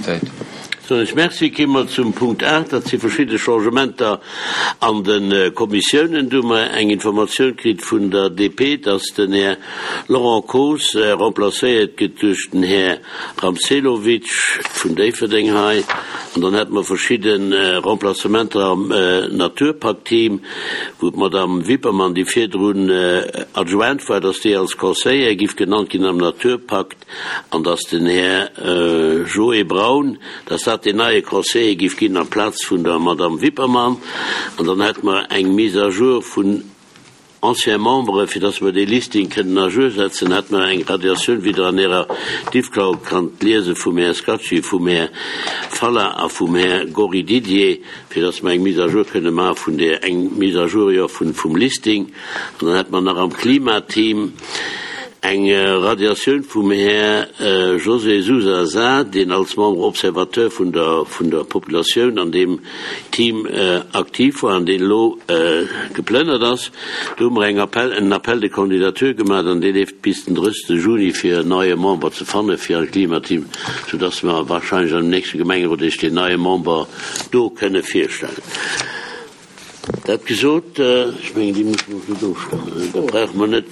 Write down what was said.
Unanimitéit. Soen ech Merci. Ki mer zum Punkt 8, dat si verschidde Changementer an de Kommissiounen. Do hu mer eng Informatioun kritt vun der DP, dass den Här Laurent Koos remplacéiert gëtt duerch den Här Ramselovic vun Déifferdeng hei. An dann hätte mer verschidde Remplacementer am Naturpakt-Team, wou d'Madame Wippermann, déi virdrun Adjointe war, dass déi als Conseillère giff genannt ginn am Naturpakt an dass den Här Joé Braun, dass dat deen neie Conseiller giff ginn amplaz vun der Madame Wippermann. An dann hätte mer eng Mise à jour vun Anciens Memberen, fir dass mer dee Listing kënnen à jour setzen, hätte mer eng Radiatioun, wéi Der an Ärer Diffcloud kannt liesen, vum Här Scacci, vum Här Falla a vum Här Gory Didier, fir dass mer eng Mise à jour kënne maache vun där, eng Mise à jour, jo, vun, vum Listing. An dann hätte mer nach am Klimateam eng Radiatioun vum Här José Sousa Sá, deen als Membre observateur vun der, vun der Populatioun an deem Team aktiv war an deen elo geplënnert ass. Do hu mer eng Appel, en Appel de candidature gemaach an dee leeft bis den 30. Juni fir en neie Member ze fanne fir an d'Klimateam, soudass mer wahrscheinlech an dem nächste Gemengerot Iech deen neie Member do kënne virstellen. Dat gesot, ech mengen, déi musse mer net ofstëmmen, da brauche mer net.